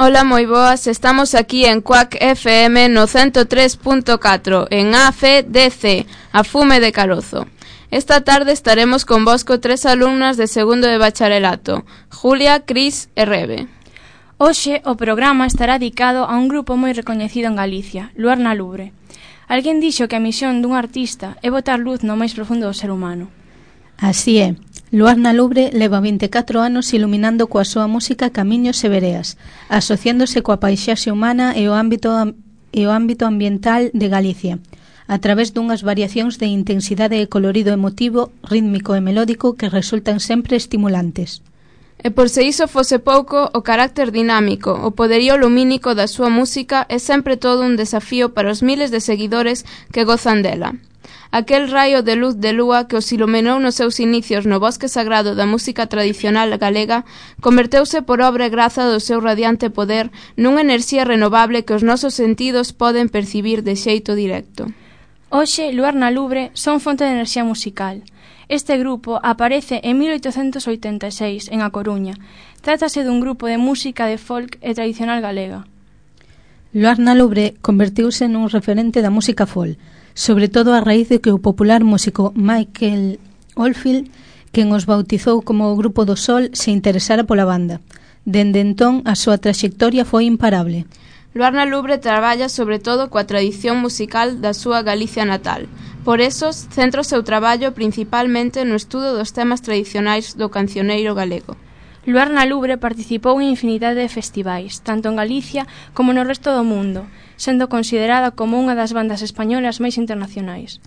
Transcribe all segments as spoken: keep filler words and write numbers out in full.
Ola, moi boas, estamos aquí en Cuac F M no ciento tres punto catro, en A F D C, a Fume de Carozo. Esta tarde estaremos con vosco tres alumnas de segundo de bacharelato, Julia, Cris e Rebe. Hoxe o programa estará dedicado a un grupo moi recoñecido en Galicia, Luar na Lubre. Alguén dixo que a misión dun artista é botar luz no máis profundo do ser humano. Así é. Luar na Lubre leva vinte e catro anos iluminando coa súa música camiños e vereas, asociándose coa paisaxe humana e o ámbito e o ámbito ambiental de Galicia, a través dunhas variacións de intensidade e colorido emotivo, rítmico e melódico que resultan sempre estimulantes. E por se iso fose pouco, o carácter dinámico, o poderío lumínico da súa música é sempre todo un desafío para os miles de seguidores que gozan dela. Aquel raio de luz de lúa que os iluminou nos seus inicios no bosque sagrado da música tradicional galega converteuse por obra e graza do seu radiante poder nunha enerxía renovable que os nosos sentidos poden percibir de xeito directo. Hoxe, Luar na Lubre son fonte de enerxía musical. Este grupo aparece en mil oitocentos oitenta e seis en A Coruña. Trátase dun grupo de música de folk e tradicional galega. Luar na Lubre convertiuse nun referente da música folk, sobre todo a raíz de que o popular músico Michael Oldfield, quen os bautizou como o Grupo do Sol, se interesara pola banda. Dende entón, a súa traxectoria foi imparable. Luar na Lubre traballa sobre todo coa tradición musical da súa Galicia natal. Por eso, centra o seu traballo principalmente no estudo dos temas tradicionais do cancioneiro galego. Luar na Lubre participou en infinidade de festivais, tanto en Galicia como no resto do mundo, sendo considerada como unha das bandas españolas máis internacionais.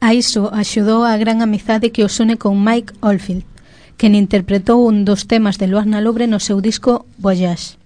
A iso axudou a gran amizade que os une con Mike Oldfield, quen interpretou un dos temas de Luar na Lubre no seu disco Voyage.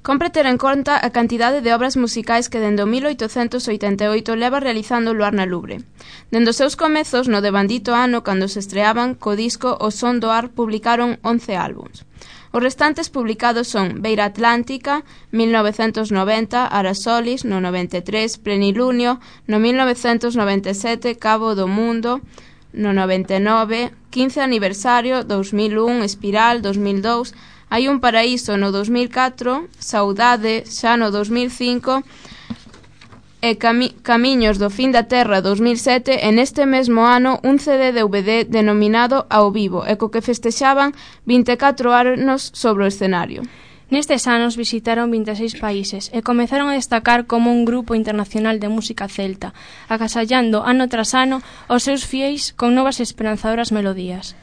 Compre ter en conta a cantidade de obras musicais que dende o mil oitocentos oitenta e oito leva realizando Luar na Lubre. Dende os seus comezos, no devandito ano, cando se estreaban, co disco O Son do Ar publicaron once álbums. Os restantes publicados son Beira Atlántica, mil novecentos noventa, Arasolis, no noventa e tres, Plenilunio, no mil novecentos noventa e sete, Cabo do Mundo, no noventa e nove, quince aniversario, dous mil un, Espiral, dos mil dous, Hai un paraíso no dos mil catro, Saudade xa no dos mil cinco e Cami- Camiños do Fin da Terra dos mil sete e neste mesmo ano un C D D V D denominado Ao Vivo e co que festexaban vinte e catro anos sobre o escenario. Nestes anos visitaron vinte e seis países e comezaron a destacar como un grupo internacional de música celta, agasallando ano tras ano os seus fieis con novas esperanzadoras melodías.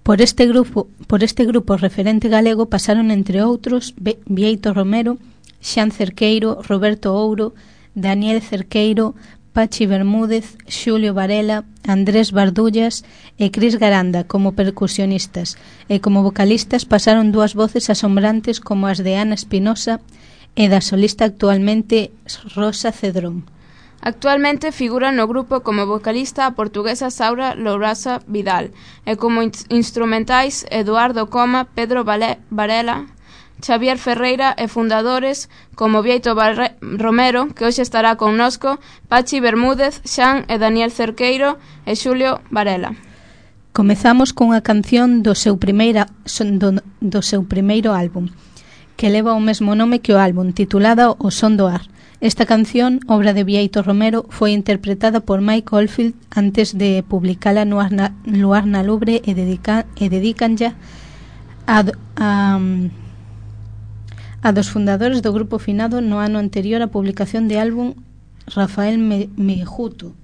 Por este grupo, por este grupo referente galego pasaron entre outros Bieito Romero, Xan Cerqueiro, Roberto Ouro, Daniel Cerqueiro, Pachi Bermúdez, Xulio Varela, Andrés Bardullas e Cris Garanda como percusionistas, e como vocalistas pasaron dúas voces asombrantes como as de Ana Espinosa e da solista actualmente Rosa Cedrón. Actualmente figura no grupo como vocalista a portuguesa Saura Lourasa Vidal e como in- instrumentais Eduardo Coma, Pedro Vale- Varela, Xavier Ferreira e fundadores como Bieito Barre- Romero, que hoxe estará connosco, Pachi Bermúdez, Xan e Daniel Cerqueiro e Xulio Varela. Comezamos cunha canción do seu, primeira, do, do seu primeiro álbum, que leva o mesmo nome que o álbum, titulada O Son do Ar. Esta canción, obra de Bieito Romero, foi interpretada por Mike Oldfield antes de publicala no Arna, Luar na Lubre e, dedica, e dedicanlla a, a, a dos fundadores do grupo finado no ano anterior á publicación de álbum, Rafael Mejuto.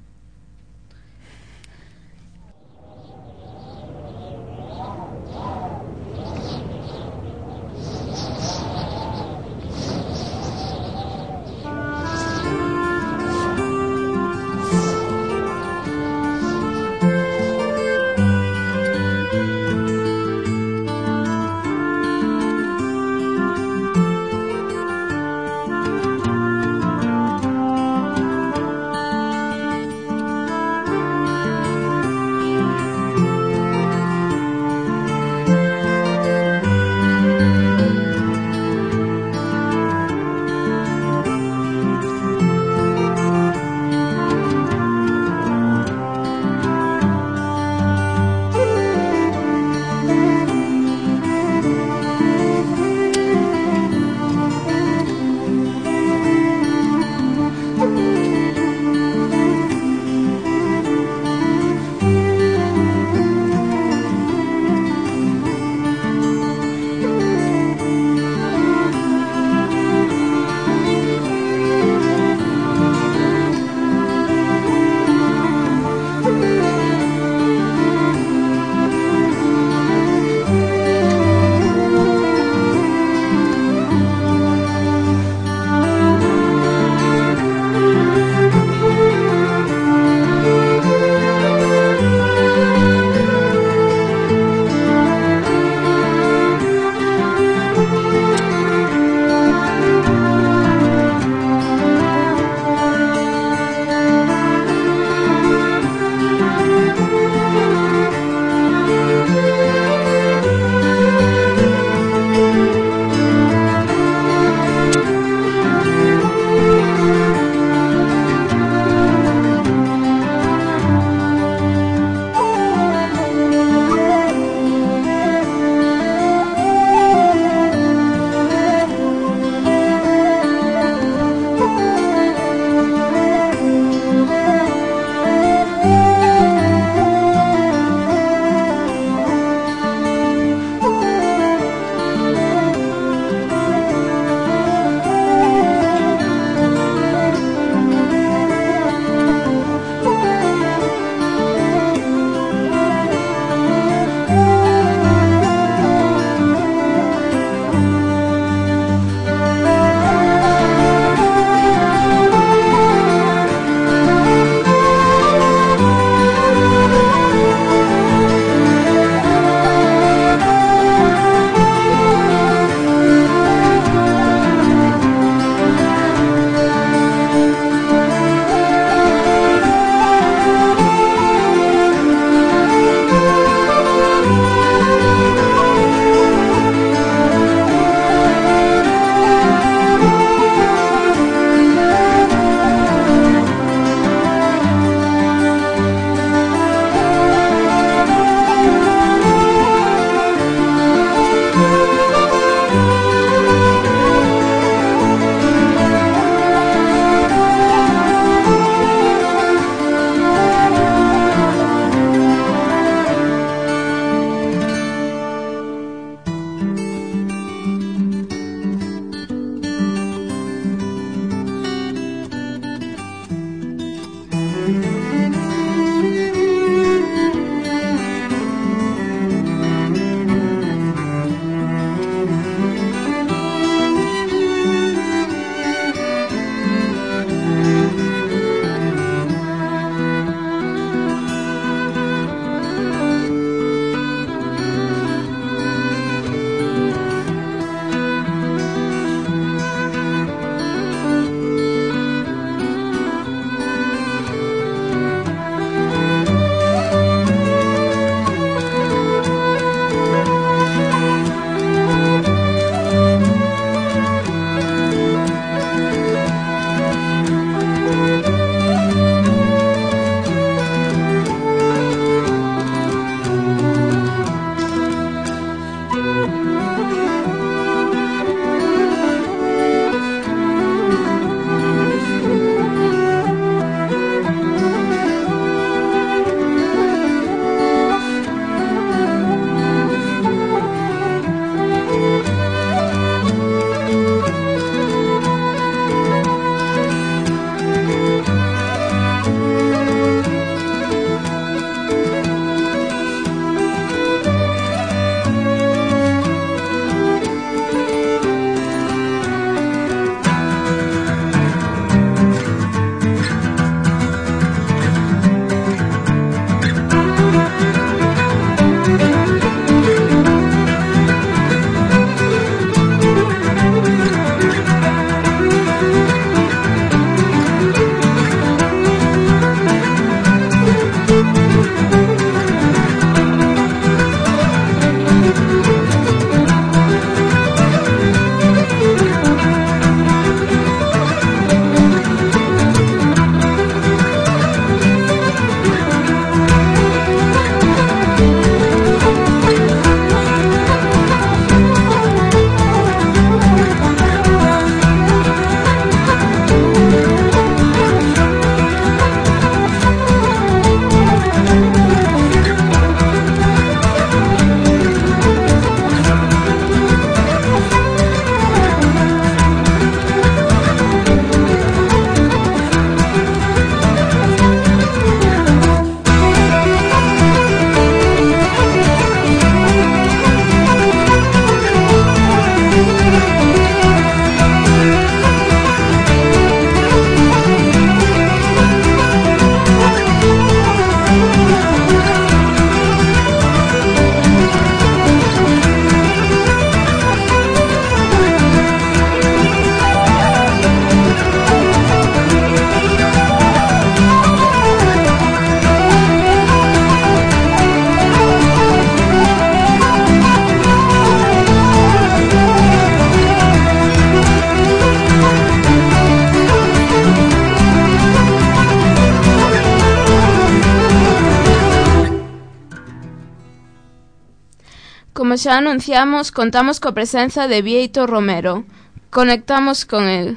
como xa anunciamos, contamos coa presenza de Bieito Romero. Conectamos con el.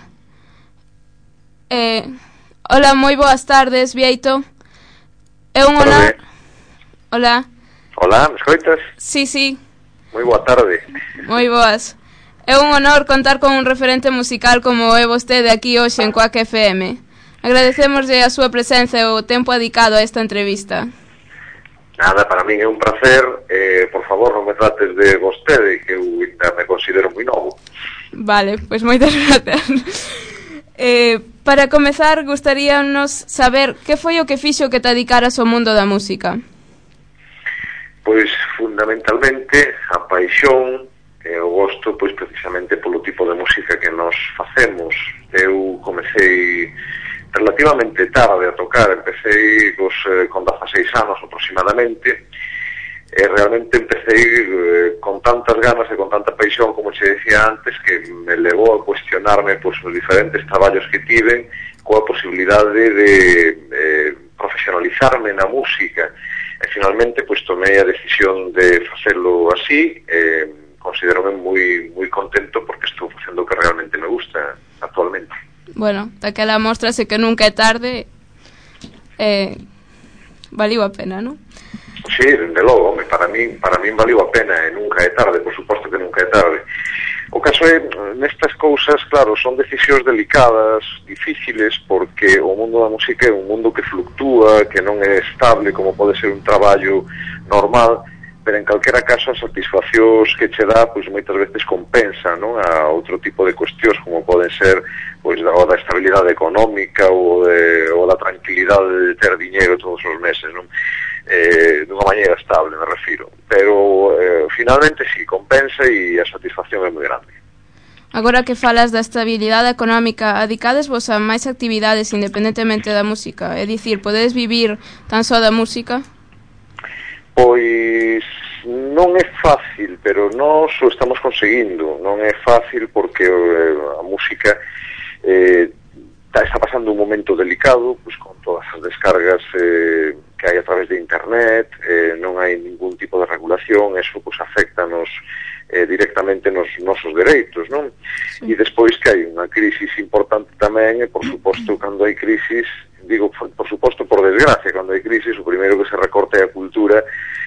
Eh, hola, moi boas tardes, Bieito. É un honor... Hola. Hola, me escoitas? Sí, sí. Moi boa tarde. Moi boas. É un honor contar con un referente musical como é vostede aquí hoxe en Coac F M. Agradecemoslle a súa presenza e o tempo dedicado a esta entrevista. Nada, para min é un placer. Eh, por favor, non me trates de vostede, que eu ainda me considero moi novo. Vale, pois moitas gracias. eh, para comezar, gustaríanos saber que foi o que fixo que te dedicaras ao mundo da música. Pois, fundamentalmente, a paixón e o gosto, pois, precisamente polo tipo de música que nos facemos. Eu comecei relativamente tarde a tocar, empecé cos, eh, con dezaseis anos aproximadamente, e realmente empecé eh, con tantas ganas e con tanta paixón, como che decía antes, que me levou a cuestionarme pois, os diferentes traballos que tiven coa posibilidade de eh, profesionalizarme na música, e finalmente pois, tomei a decisión de facelo así. eh, considerome moi, moi contento porque estou facendo o que realmente me gusta actualmente. Bueno, daquela mostrase que nunca é tarde, eh, valiu a pena, non? Sí, dende logo, home, para min, para min valiu a pena e nunca é tarde, por suposto que nunca é tarde. O caso é, nestas cousas, claro, son decisións delicadas, difíciles, porque o mundo da música é un mundo que fluctúa, que non é estable como pode ser un traballo normal, pero en calquera caso as satisfaccións que che dá, pois moitas veces compensa, non, a outro tipo de cuestións como poden ser pois o da estabilidade económica ou de ou da tranquilidade de ter diñeiro todos os meses, non? Eh, dunha maneira estable, me refiro. Pero eh, finalmente sí, compensa e a satisfacción é moi grande. Agora que falas da estabilidade económica, adicades vos a máis actividades independentemente da música? É dicir, podedes vivir tan só da música? Pois non é fácil, pero nós o estamos conseguindo. Non é fácil porque eh, a música eh, está pasando un momento delicado, pois con todas as descargas eh, que hai a través de internet, eh, non hai ningún tipo de regulación, eso pois afecta-nos eh, directamente nos nosos dereitos, non? Sí. E despois que hai unha crisis importante tamén, e por suposto, cando hai crisis, digo, por suposto, por desgracia, cando hai crisis, o primeiro que se recorta é a cultura,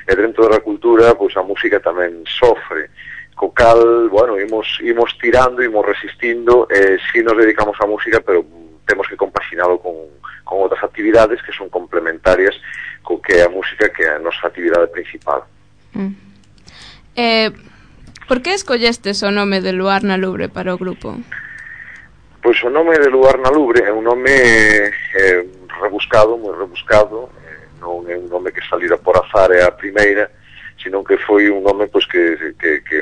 e dentro da cultura, pois a música tamén sofre. Co cal, bueno, imos, imos tirando, imos resistindo, e si nos dedicamos á música, pero temos que compaxinalo con, con outras actividades que son complementarias co que é a música, que é a nosa actividade principal. Mm. Eh, por que escollestes o nome de Luar na Lubre para o grupo? Pois o nome de Luar na Lubre é un nome eh, rebuscado, moi rebuscado, eh, non é un nome que salira por azar é a primeira, sino que foi un nome pois, que, que, que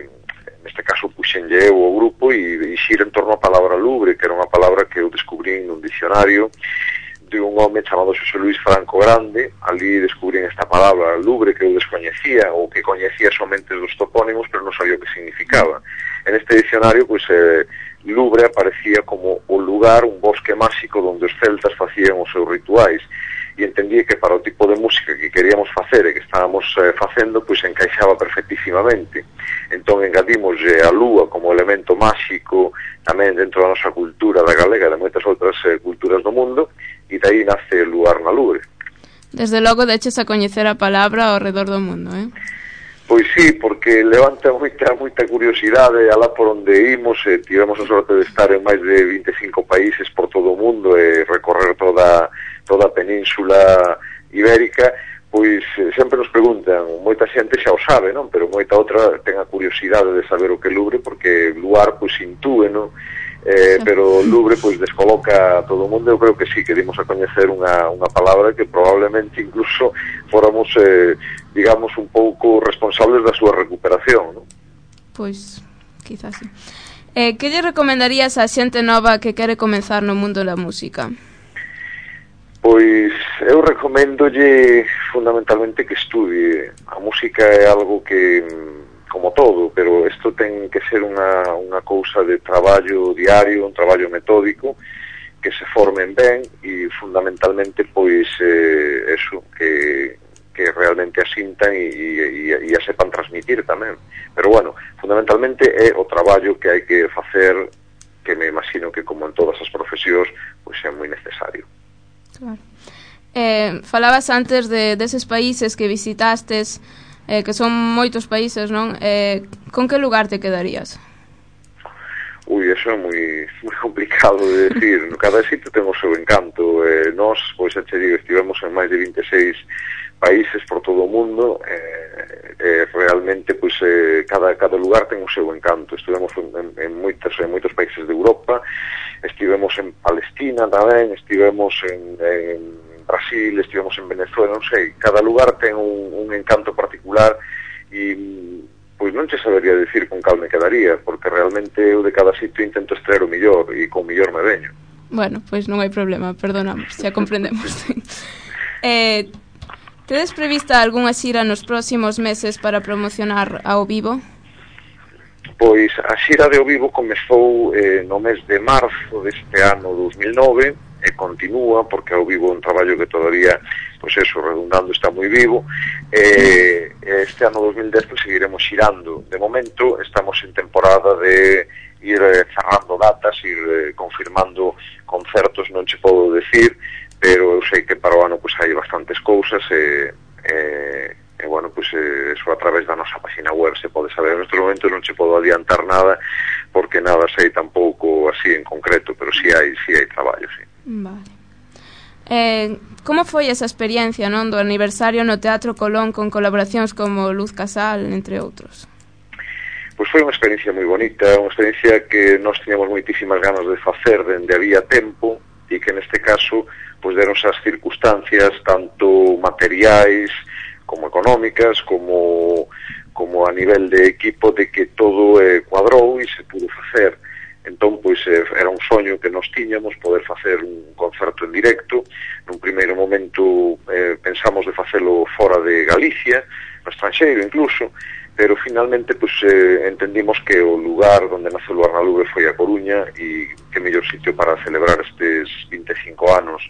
neste caso puxenlle eu o grupo e, e xira en torno á palabra lubre, que era unha palabra que eu descubrín nun dicionario de un home chamado Xosé Luis Franco Grande. Ali descubrín esta palabra lubre que eu descoñecía, ou que coñecía somente dos topónimos, pero non sabía o que significaba. En este dicionario, pois, eh, Lubre aparecía como o lugar, un bosque máxico onde os celtas facían os seus rituais, e entendí que para o tipo de música que queríamos facer e que estábamos eh, facendo, pois encaixaba perfectísimamente. Entón engadimos eh, a lúa como elemento máxico tamén dentro da nosa cultura da galega e de moitas outras eh, culturas do mundo, e dai nace Luar na Lubre. Desde logo deches a coñecer a palabra ao redor do mundo, eh? Pois sí, porque levanta moita moita curiosidade alá por onde imos, e tivemos a sorte de estar en máis de vinte e cinco países por todo o mundo e recorrer toda toda a península ibérica. Pois sempre nos preguntan, moita xente xa o sabe, non? Pero moita outra ten a curiosidade de saber o que é Lubre, porque Luar pois intúe, non? Eh, pero Lubre pois descoloca a todo o mundo. Eu creo que sí, que dimos a coñecer unha, unha palabra que probablemente incluso fóramos, eh, digamos, un pouco responsables da súa recuperación, non? Pois, quizás sí. Eh, que lle recomendarías a xente nova que quere comenzar no mundo da música? Pois eu recomendolle fundamentalmente que estudie. A música é algo que, como todo, pero isto ten que ser unha, unha cousa de traballo diario, un traballo metódico, que se formen ben, e fundamentalmente pois eh, eso, que, que realmente asintan e, e, e a sepan transmitir tamén. Pero bueno, fundamentalmente é o traballo que hai que facer, que me imagino que como en todas as profesións pois é moi necesario. Claro. Eh, falabas antes de deses países que visitastes, eh, que son moitos países, non? Eh, con que lugar te quedarías? Ui, eso é moi, moi complicado de decir. Cada sitio ten o seu encanto. Eh, nós, pois, xa che digo, estivemos en máis de vinte e seis países por todo o mundo. Eh, eh, realmente, pois, eh, cada, cada lugar ten o seu encanto. Estivemos en, en, en, moitos, en moitos países de Europa, estivemos en Palestina tamén, estivemos en, en Brasil, estivemos en Venezuela, non sei. Cada lugar ten un, un encanto particular e pois non che sabería decir con cal me quedaría, porque realmente eu de cada sitio intento extraer o millor e con millor me veño. Bueno, pois non hai problema, perdonamos, xa comprendemos. eh, tedes prevista algunha xira nos próximos meses para promocionar ao vivo? Pois a xira de ao vivo comezou eh, no mes de marzo deste ano dos mil nove e continúa, porque ao vivo é un traballo que todavía, pois eso, redundando, está moi vivo. Eh, este ano dos mil dez pues, seguiremos xirando. De momento estamos en temporada de ir eh, cerrando datas, ir eh, confirmando concertos, non che podo decir, pero eu sei que para o ano pues, hai bastantes cousas e, e, e bueno, pues, eh, eso a través da nosa página web se pode saber. En este momento non che podo adiantar nada porque nada sei tampouco así en concreto, pero si sí hai, si sí hai traballo, sí. Vale. Eh, como foi esa experiencia, non, do aniversario no Teatro Colón con colaboracións como Luz Casal, entre outros? Pois foi unha experiencia moi bonita, unha experiencia que nós tiñamos moitísimas ganas de facer dende había tempo e que neste caso pois deronse as circunstancias tanto materiais como económicas como, como a nivel de equipo de que todo eh, cuadrou e se pudo facer. Entón, pois, eh, era un soño que nos tiñamos poder facer un concerto en directo. Nun primeiro momento eh, pensamos de facelo fora de Galicia, no estranxeiro incluso, pero finalmente pois, eh, entendimos que o lugar onde nace o Luar na Lubre foi a Coruña e que mellor sitio para celebrar estes vinte e cinco anos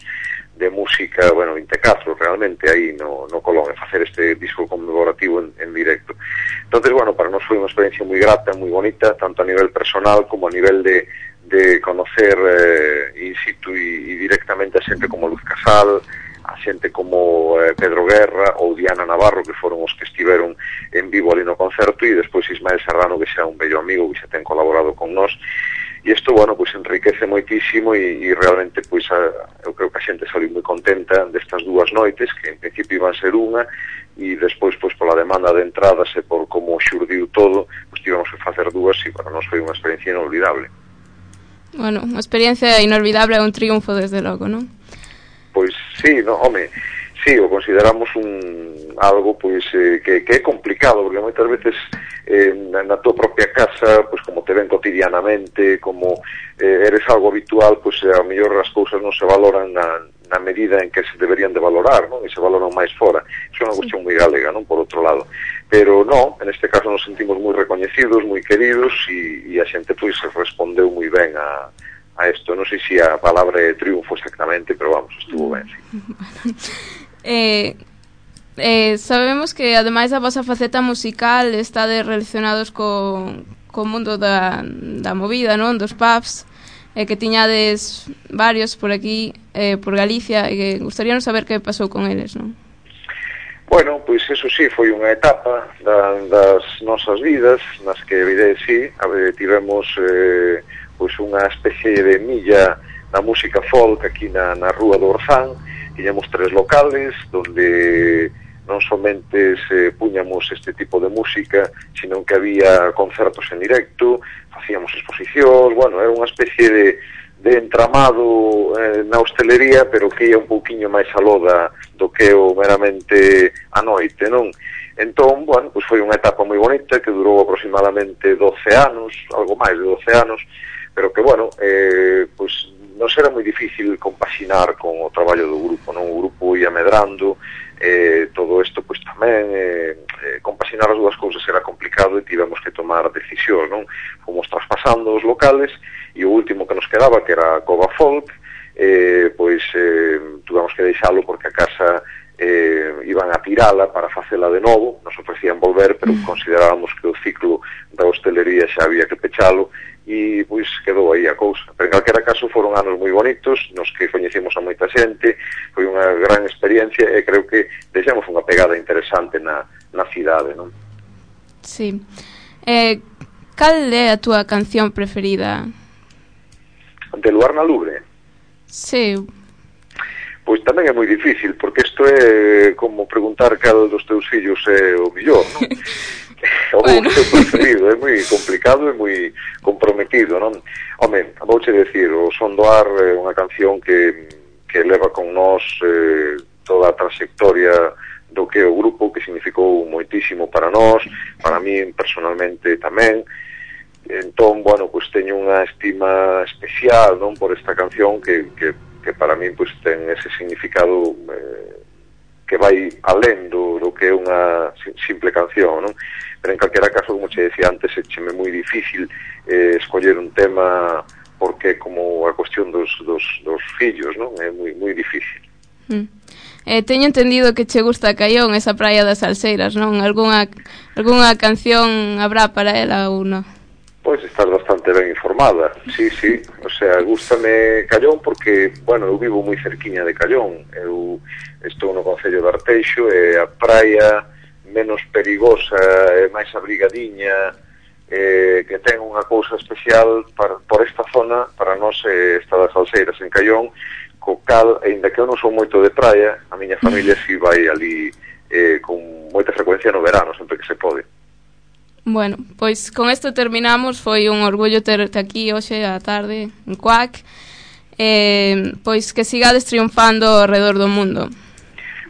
de música, bueno, vinte e catro realmente aí no, no Colón, e facer este disco conmemorativo en, en directo. Entonces, bueno, para nós foi unha experiencia moi grata, moi bonita, tanto a nivel personal como a nivel de, de conocer eh, in situ e, e directamente a xente como Luz Casal, a xente como eh, Pedro Guerra ou Diana Navarro, que foron os que estiveron en vivo ali no concerto, e despois Ismael Serrano, que xa é un bello amigo, que xa ten colaborado con nós. E isto, bueno, pois enriquece moitísimo e, e realmente, pois, a, eu creo que a xente saliu moi contenta destas dúas noites, que en principio iban ser unha, e despois, pois, pola demanda de entradas e por como xurdiu todo, pois tivemos que facer dúas e para nós foi unha experiencia inolvidable. Bueno, unha experiencia inolvidable é un triunfo, desde logo, non? Pois sí, no, home, sí, o consideramos un algo pois eh, que, que é complicado, porque moitas veces eh, na, na tua propia casa, pois como te ven cotidianamente, como eh, eres algo habitual, pois a mellor as cousas non se valoran na, na medida en que se deberían de valorar, non? E se valoran máis fora. Iso é unha cuestión moi galega, non? Por outro lado. Pero non, en este caso nos sentimos moi recoñecidos, moi queridos e, e a xente pois respondeu moi ben a a isto. Non sei se a palabra é triunfo exactamente, pero vamos, estuvo ben, sí. eh, eh, sabemos que ademais da vosa faceta musical estade relacionados co, co mundo da, da movida, non? Dos pubs, eh, que tiñades varios por aquí, eh, por Galicia, e que gustaríanos saber que pasou con eles, non? Bueno, pois eso sí, foi unha etapa da, das nosas vidas nas que, evidente, sí, a ver, tivemos eh, pois unha especie de milla da música folk aquí na, na Rúa do Orzán. Tiñamos tres locales donde non somente se puñamos este tipo de música, sino que había concertos en directo, facíamos exposicións, bueno, era unha especie de, de entramado eh, na hostelería, pero que ia un pouquiño máis aló da, do que o meramente a noite, non? Entón, bueno, pois foi unha etapa moi bonita que durou aproximadamente doce anos, algo máis de doce anos, pero que, bueno, eh, pois non era moi difícil compaxinar con o traballo do grupo, non? O grupo ia medrando, eh, todo isto, pois tamén, eh, eh, compaxinar as dúas cousas era complicado e tivemos que tomar decisións, non? Fomos traspasando os locales e o último que nos quedaba, que era a Cova Folk, eh, pois eh, tuvemos que deixalo porque a casa eh, iban a tirala para facela de novo, nos ofrecían volver, pero considerábamos que o ciclo da hostelería xa había que pechalo, e pois quedou aí a cousa. Pero en calquera caso foron anos moi bonitos, nos que coñecemos a moita xente, foi unha gran experiencia e creo que deixamos unha pegada interesante na, na cidade, non? Sí. Eh, cal é a túa canción preferida? De Luar na Lubre? Sí. Pois tamén é moi difícil, porque isto é como preguntar cal dos teus fillos é o millor, non? O bueno. Teu preferido, é moi complicado e moi comprometido, non? Home, vouche decir, o Son do Ar é unha canción que, que leva con nós eh, toda a trayectoria do que é o grupo, que significou moitísimo para nós, para mí personalmente tamén. Entón, bueno, pois teño unha estima especial, non, por esta canción que, que, que para mí pois ten ese significado eh, que vai alén do, do que é unha simple canción, non? Pero en calquera caso, como che decía antes, é cheme moi difícil eh, escoller un tema porque como a cuestión dos, dos, dos fillos, non? É moi, moi difícil. Mm. Eh, teño entendido que che gusta Caión, esa praia das Salseiras, non? Algúnha, algúnha canción habrá para ela ou non? Pois estás bastante ben informada, sí, sí, o sea, gústame Callón porque, bueno, eu vivo moi cerquiña de Callón, eu estou no concello de Arteixo e a praia menos perigosa e máis abrigadiña, eh, que ten unha cousa especial para, por esta zona, para nós eh, está das Salseiras en Callón, co cal, ainda que eu non son moito de praia, a miña familia si vai ali eh, con moita frecuencia no verano, sempre que se pode. Bueno, pois con isto terminamos, foi un orgullo terte aquí hoxe á tarde en Cuac, eh, pois que sigades triunfando ao redor do mundo.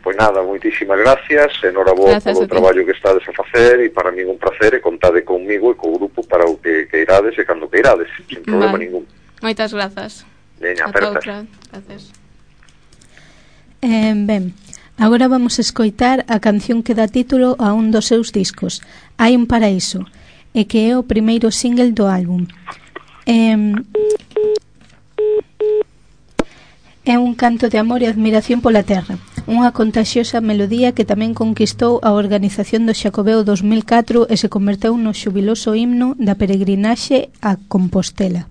Pois nada, moitísimas gracias, enhoraboa polo traballo que estades a facer e para mí un placer e contade conmigo e co grupo para o que queirades e cando queirades, sin problema vale. ningún. Moitas grazas. Veña, apertas. Gracias. Eh, ben, agora vamos a escoitar a canción que dá título a un dos seus discos, Hai un paraíso, e que é o primeiro single do álbum. Eh, é un canto de amor e admiración pola terra, unha contaxiosa melodía que tamén conquistou a organización do Xacobeo dos mil catro e se converteu no xubiloso himno da peregrinaxe a Compostela.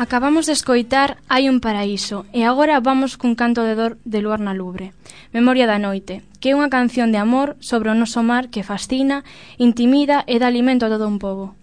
Acabamos de escoitar Hai un paraíso e agora vamos cun canto de dor de Luarna Lubre, Memoria da noite, que é unha canción de amor sobre o noso mar que fascina, intimida e dá alimento a todo un pobo.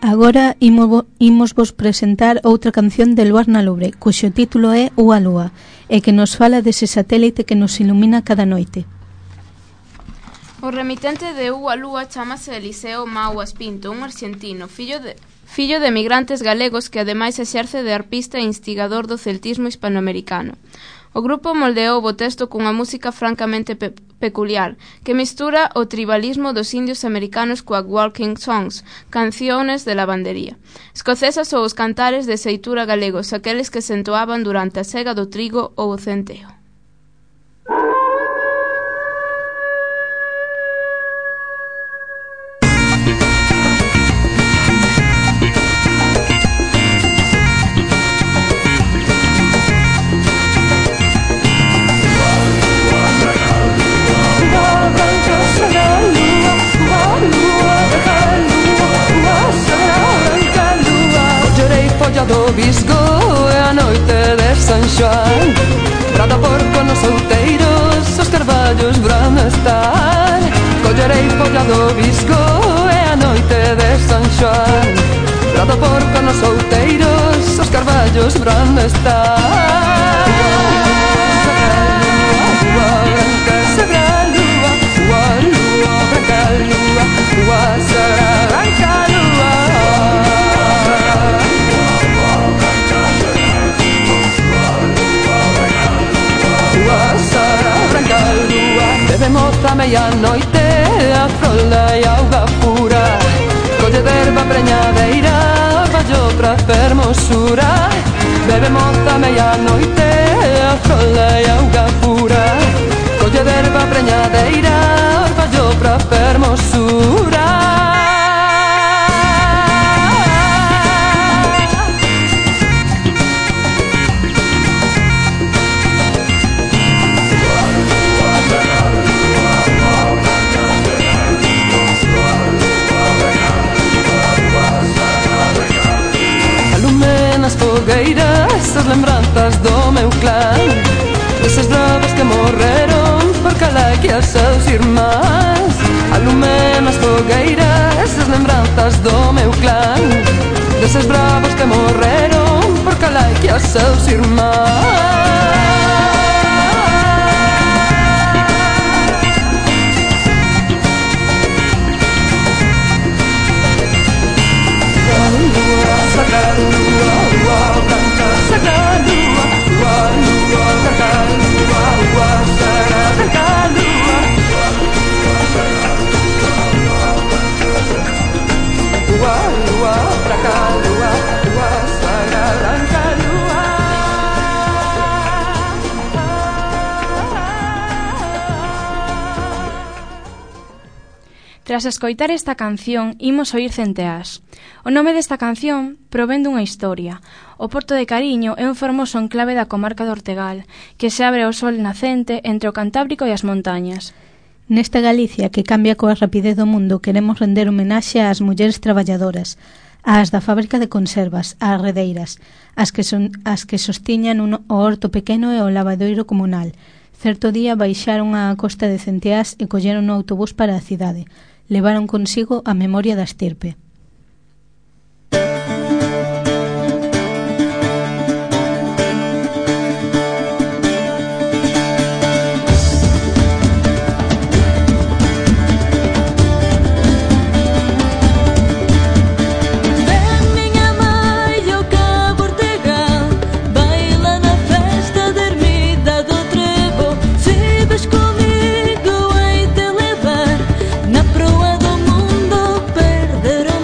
Agora imos, imos vos presentar outra canción de Luarna Lubre, cuxo título é Ua Lúa, e que nos fala dese satélite que nos ilumina cada noite. O remitente de Ua Lúa chamase Eliseo Mauas Pinto, un arxentino, fillo de, fillo de emigrantes galegos que ademais exerce de arpista e instigador do celtismo hispanoamericano. O grupo moldeou o texto cunha música francamente pe peculiar, que mistura o tribalismo dos indios americanos coa walking songs, canciones de lavandería. Escocesas ou os cantares de seitura galegos, aqueles que se entoaban durante a sega do trigo ou o centeo. Do Visgo e a noite de San Xoán, brada porco nos outeiros, os carballos bran estar. Collerei polla do Visgo e a noite de San Xoán, brada porco nos outeiros, os carballos bran estar. Ua branca sagra lúa, ua lúa branca lúa, ua sagra branca lúa. Bebemos a medianoite a frola e auga pura, colle derba preñadeira, orballo pra fermosura. Bebemos a medianoite a frola e auga pura, colle derba preñadeira, orballo pra fermosura. Fogueiras, as lembranzas do meu clán, deses bravos que morreron por Calaquia e seus irmáns. Alume nas fogueiras, as lembranzas do meu clán, deses bravos que morreron por Calaquia e seus irmáns. Sagrada lúa, lúa branca, sagrada lúa, lúa, lúa branca, lúa, lúa sagrada branca, lúa, lúa, lúa branca, lúa, lúa sagrada branca, lúa. Tras escoitar esta canción, imos oír Centeás. O nome desta canción provén dunha historia. O Porto de Cariño é un fermoso enclave da comarca do Ortegal, que se abre ao sol nacente entre o Cantábrico e as montañas. Nesta Galicia que cambia coa rapidez do mundo, queremos render homenaxe ás mulleres traballadoras, ás da fábrica de conservas, ás redeiras, as que, son, as que sostiñan un, o horto pequeno e o lavadoiro comunal. Certo día baixaron á costa de Centeás e colleron o autobús para a cidade. Levaron consigo a memoria da estirpe. Comigo hei de levar na proa do mundo, perder o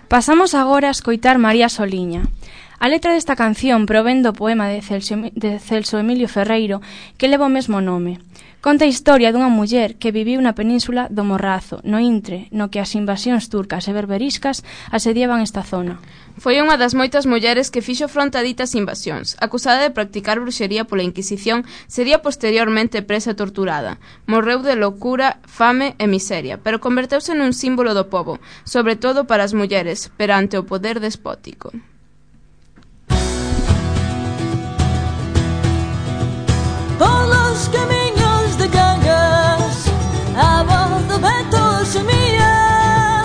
Pasamos agora a escoitar María Soliña. A letra desta canción provén do poema de Celso, de Celso Emilio Ferreiro que leva o mesmo nome. Conta a historia dunha muller que viviu na península do Morrazo, no intre, no que as invasións turcas e berberiscas asediaban esta zona. Foi unha das moitas mulleres que fixo fronte a ditas invasións. Acusada de practicar bruxería pola Inquisición, sería posteriormente presa e torturada. Morreu de loucura, fame e miseria, pero converteuse nun símbolo do pobo, sobre todo para as mulleres, perante o poder despótico. Polos camiños de Cangas, a voz do vento xemía.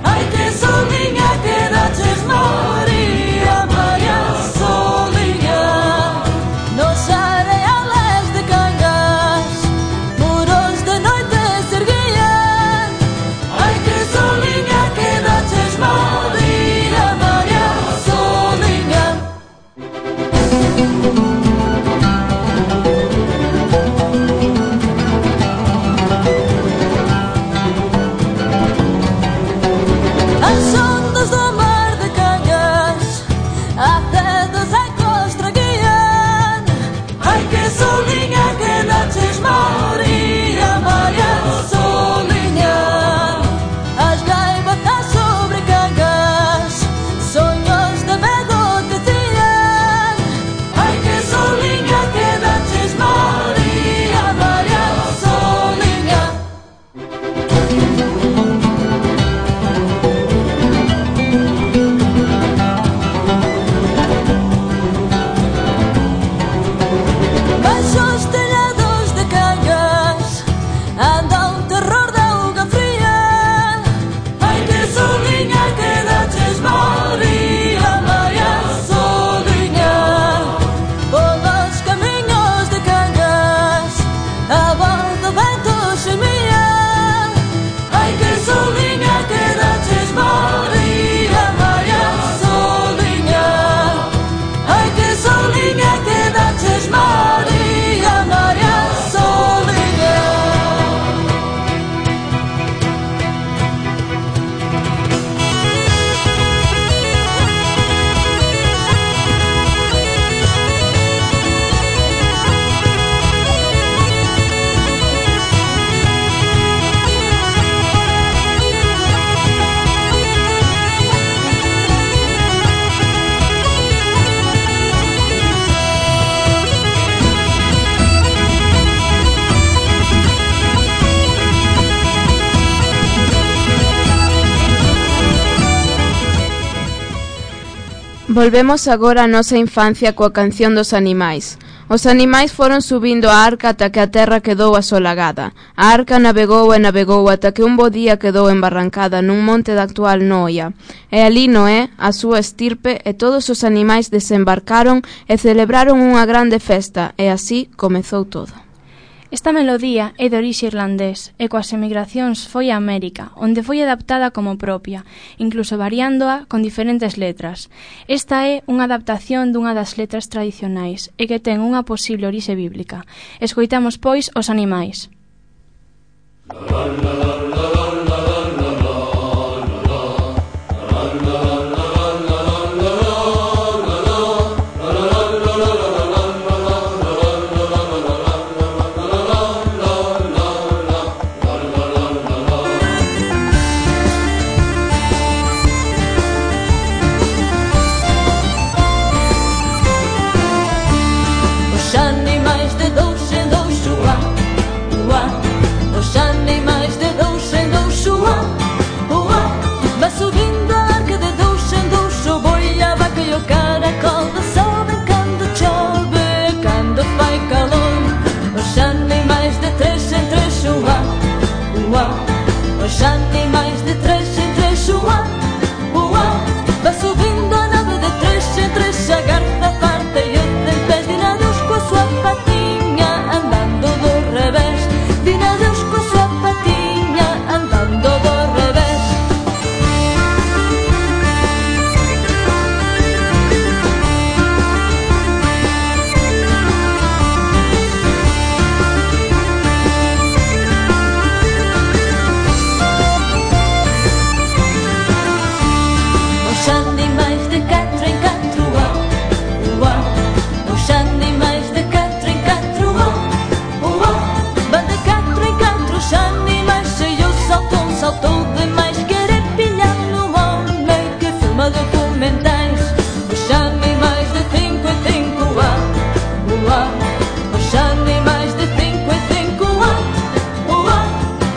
Ai que soliña que daches María, María Soliña. Nos areales de Cangas, muros de noite se erguían. Ai que soliña que daches María, María Soliña. Volvemos agora á nosa infancia coa canción dos animais. Os animais foron subindo a arca ata que a terra quedou asolagada. A arca navegou e navegou ata que un bo día quedou embarrancada nun monte da actual Noia. E ali Noé, a súa estirpe e todos os animais desembarcaron e celebraron unha grande festa, e así comezou todo. Esta melodía é de orixe irlandés e coas emigracións foi a América, onde foi adaptada como propia, incluso variándoa con diferentes letras. Esta é unha adaptación dunha das letras tradicionais e que ten unha posible orixe bíblica. Escoitamos, pois, os animais. Os animais de três em três, uá, uá, vai subindo a nave de três em três, a garra farta e os dentes virados com a sua patinha, andando do revés, virados com a sua patinha, andando do revés.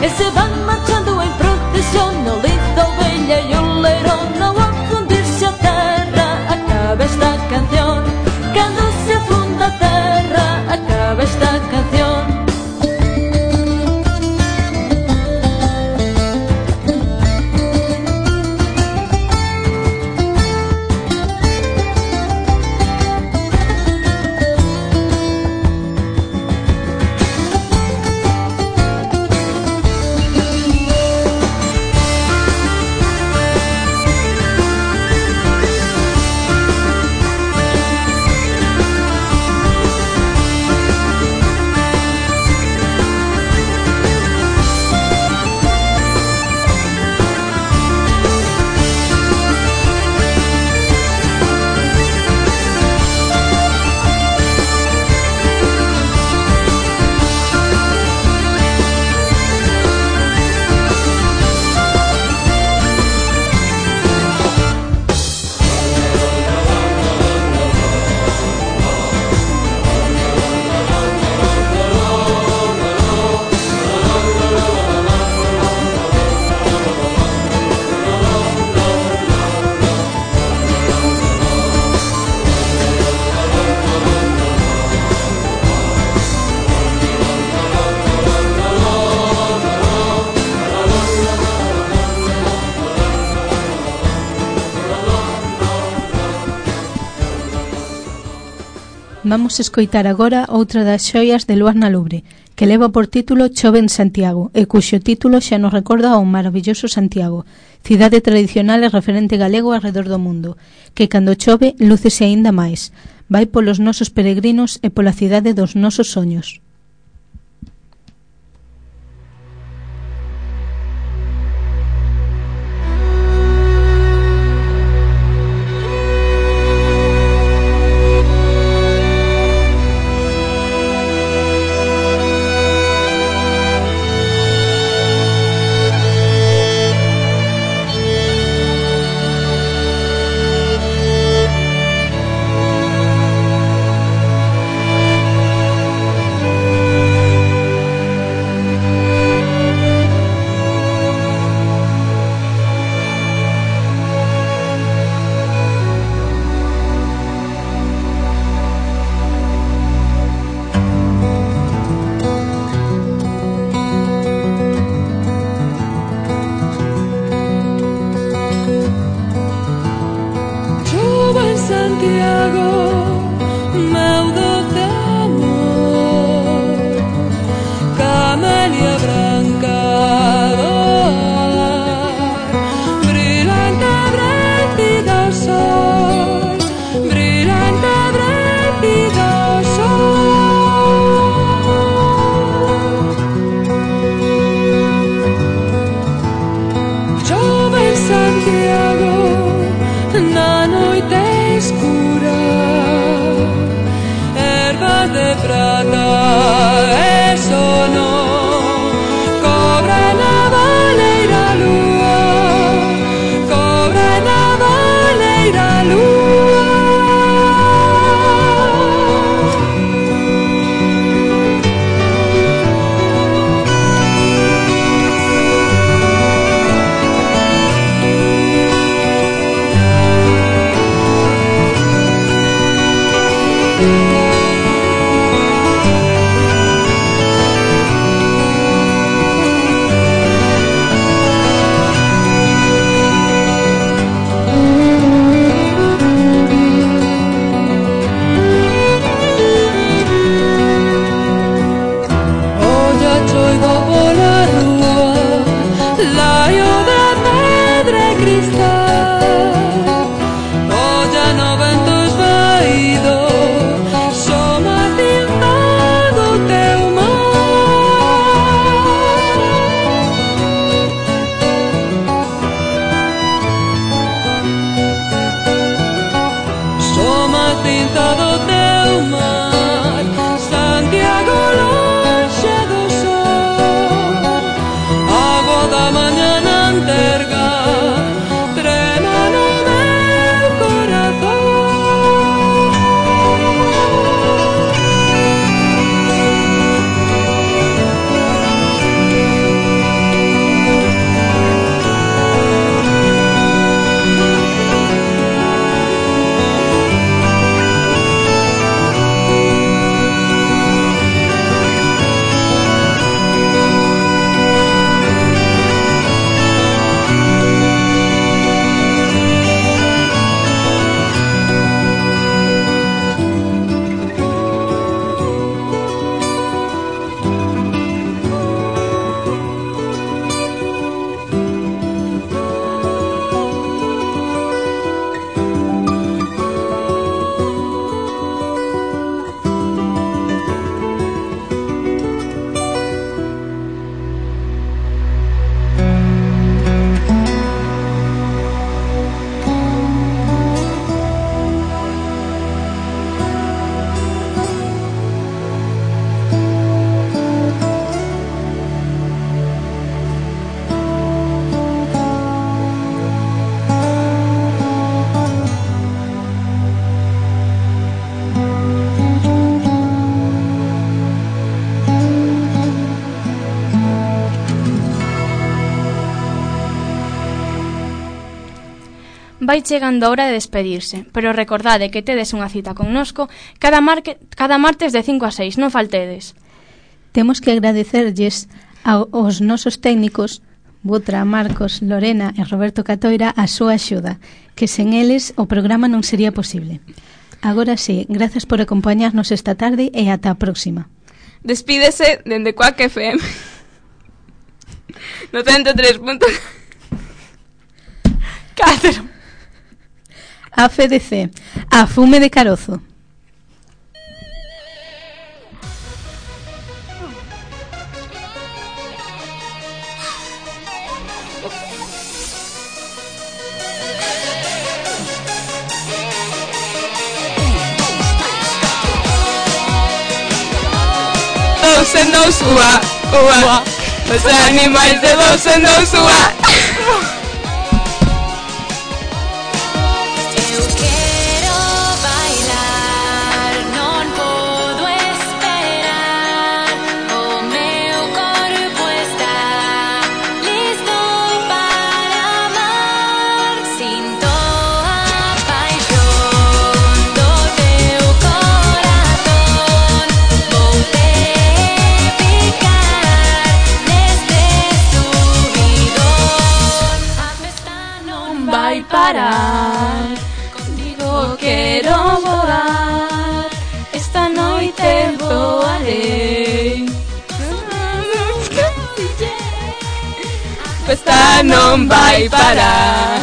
e se van marchando en procesión no lindo bella e o leirón. Ao afundirse a terra acaba esta canción, cando se afunda a terra acaba esta canción. Vamos escoitar agora outra das xoias de Luarna Lubre, que leva por título Chove en Santiago, e cuxo título xa nos recorda ao maravilloso Santiago, cidade tradicional e referente galego arredor do mundo, que cando chove lúcese aínda máis, vai polos nosos peregrinos e pola cidade dos nosos soños. vai chegando a hora de despedirse, pero recordade que tedes unha cita connosco cada, marque, cada martes de cinco a seis, non faltedes. Temos que agradecerlles aos nosos técnicos, Butra, Marcos, Lorena e Roberto Catoira, a súa axuda, que sen eles o programa non sería posible. Agora sí, grazas por acompañarnos esta tarde e ata a próxima. Despídese dende Quack F M no ciento tres punto catro. A F D C, a fume de carozo. Dos en dos, ua, ua. Os animais de dos en dos, ua. Eu quero bailar, non podo esperar. O meu corpo está listo para amar. Sinto a paixón do teu corazón. Vou te picar neste subidón. A festa non vai parar. Contigo quero voar. Esta noite voarei. Festa non vai parar.